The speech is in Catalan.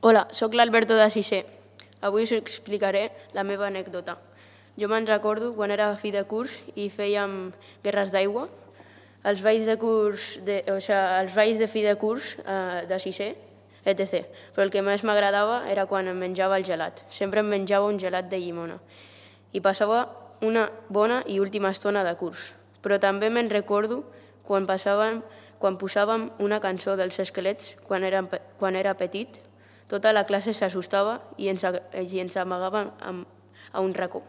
Hola, sóc l'Alberto de sisè. Avui us explicaré la meva anècdota. Jo me'n recordo quan era fi de curs i fèiem guerres d'aigua. Els balls de fi de curs de sisè, etc. Però el que més m'agradava era quan em menjava el gelat. Sempre em menjava un gelat de llimona. I passava una bona i última estona de curs. Però també me'n recordo quan posàvem una cançó dels Esquelets quan era petit. Tota la classe s'assustava i ens amagàvem a un racó.